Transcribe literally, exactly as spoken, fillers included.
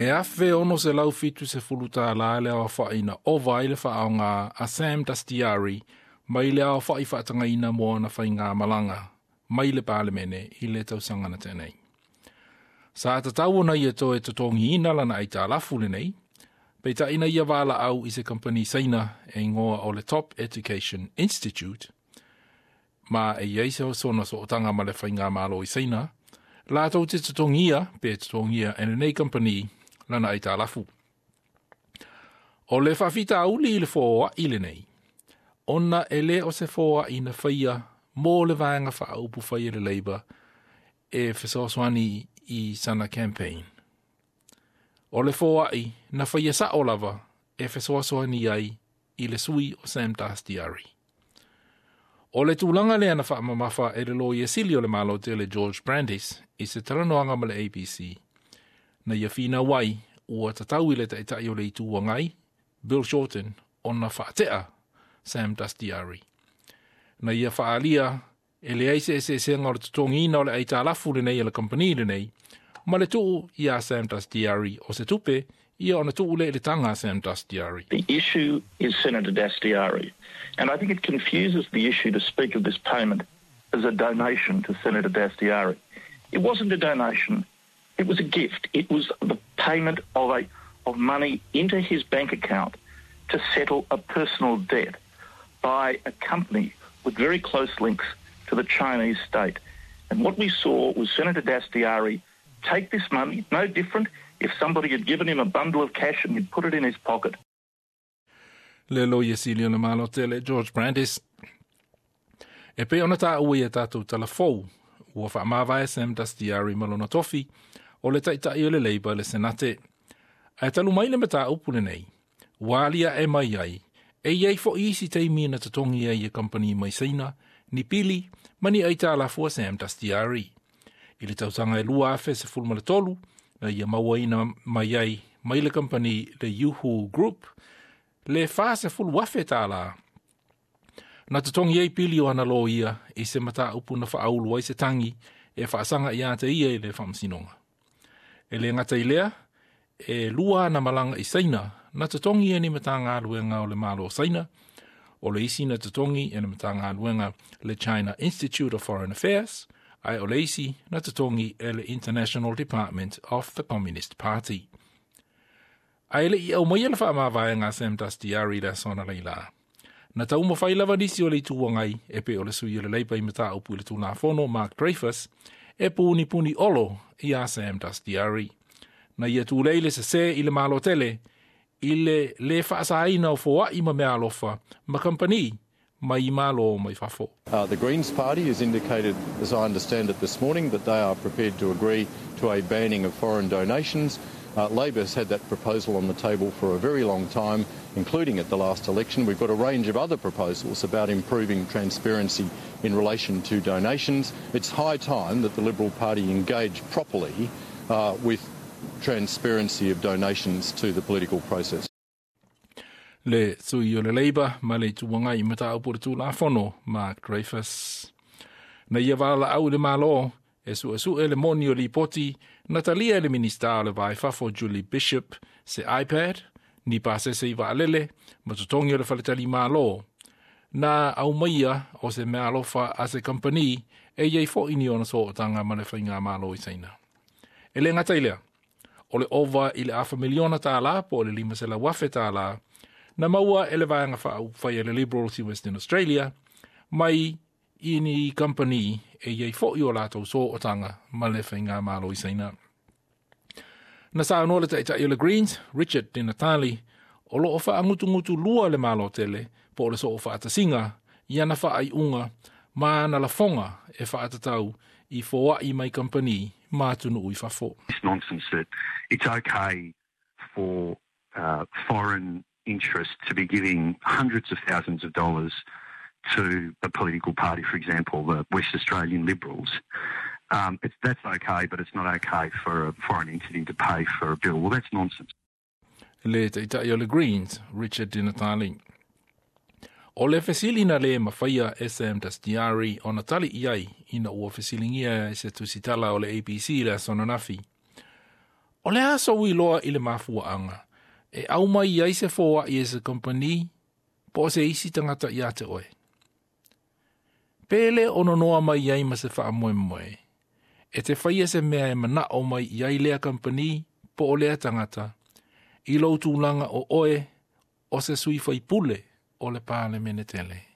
E afe ono selau fitu sefulu tālā le aofaʻi na ova ai le faaaogā a Sam Dastyari mai le aofaʻi faatagaina mo ana faigamalaga mai le Palemene i le tausaga na tea nei. Sa tatau ona ia toe totogiina lana aitalafu lenei, peitaʻi na ia valaau i se kampani Saina e igoa o le Top Education Institute, ma e iai se sona sootaga ma le faigamālō i Saina, latou te totogia pe totogia e lenei kampani lana aitalafu. O le faafitauli i le foaʻi lenei, ona e lē o se foaʻi na faia mo le vaega faaupufai e le Labour e fesoasoani i sana campaign. O le foaʻi na faia saʻo lava e fesoasoani ai i le sui o Sam Dastyari. O le tulaga lea na faamamafa e le Loia Sili o le Malo tele George Brandis i se talanoaga ma le A B C. Na ia finau ai ua tatau i le taʻitaʻi o le Itu Agai, Bill Shorten, ona faateʻa Sam Dastyari. Na ia faaalia e leai se eseesega o le totogiina o le aitalafu lenei e le kampani lenei, ma le tuu iā Sam Dastyari o se tupe, ia ona tuu lea i le taga a Sam Dastyari. The issue is Senator Dastyari. And I think it confuses the issue to speak of this payment as a donation to Senator Dastyari. It wasn't a donation. It was a gift. It was the payment of a of money into his bank account to settle a personal debt by a company with very close links to the Chinese state. And what we saw was Senator Dastyari take this money, no different if somebody had given him a bundle of cash and he'd put it in his pocket. Le Loia Sili o le Malo tele George Brandis. E pei ona taua i a tatou talafou, ua faamavae Sam Dastyari ma lona tofi o le taʻitaʻi o le Labour le Senate. Ae talu mai le mataupu lenei, ua aliaʻe mai ai, e iai foʻi isi taimi na totogi ai e kampani mai Saina, ni pili, ma ni aitalafu a Sam Dastyari. I le tausaga e lua afe sefulu ma le tolu, na ia mauaina mai ai mai le kampani le Yuhu Group, le fa sefulu afe tālā. Na totogi ai pili o ana loia i se mataupu na faaulu ai se tagi e faasaga ia te ia i le faamasinoga. E le gata i lea, e lua ana malaga i Saina, na totogi e ni Matagaluega o le Malo o Saina, o le isi na totogi e le Matagaluega le China Institute of Foreign Affairs, ae o le isi na totogi e le International Department of the Communist Party. Ae leʻi aumaia le faamavaega a Sam Dastyari le aso analeila. Na taumafai lava nisi o le Itu Agai e pei o le sui o le Labour i mataupu i le Tulafono Mark Dreyfus e punipuni olo iā Sam Dastyari. Na ia tulei le sesē i le Malo tele i le lē faasaina o foaʻi ma meaalofa ma kampani mai malo mai fafo. Uh, the Greens Party has indicated, as I understand it this morning, that they are prepared to agree to a banning of foreign donations. Uh, Labor has had that proposal on the table for a very long time, including at the last election. We've got a range of other proposals about improving transparency in relation to donations. It's high time that the Liberal Party engage properly uh, with transparency of donations to the political process. Le sui o le Labour ma le Itu Agai i mataupu le Tulafono Mark Dreyfus. Na ia valaau i le Malo e suesue le moni o lipoti na talia e le Minista o le Va i Fafo Julie Bishop se iPad, ni pasese i vaalele, ma totogi o le faletalimālō. Na aumaia o se meaalofa a se kampani e iai foʻi ni ona sootaga ma le faigamālō i Saina. E le gata i lea, o le ova i le afa miliona tālā po o le lima selau afe tālā, na maua e le vaega faaupufai a le Liberals i Western Australia, mai i ni kampani e iai foʻi o latou sootaga ma le faigamālō i Saina. Na saunoa le taʻitaʻi o le Greens, Richard Di Natale, o loo faagutugutu lua le Malo tele po o le soo faatasiga i ana faaiuga ma ana lafoga e faatatau i foaʻi mai kampani ma atunuu i fafo. This nonsense that it's okay for uh, foreign interests to be giving hundreds of thousands of dollars to a political party, for example, the West Australian Liberals. Um, it's, that's okay, but it's not okay for a foreign entity to pay for a bill. Well, that's nonsense. Le taʻitaʻi o le Greens, Richard Di Natale. O le fesili na lē mafaia e Sam Dastyari ona tali i ai ina ua fesiligia e se tusitala o le A B C le aso ananafi. O le a sou iloa i le mafuaaga e aumai ai se foai e se kamupani po o se isi tagata ia te oe? Pe le o nonoa mai ai ma se faamoemoe e te faia se mea e manao mai i ai lea kamupani po o lea tagata i lou tulaga o oe o se sui faipule o le Palemene tele.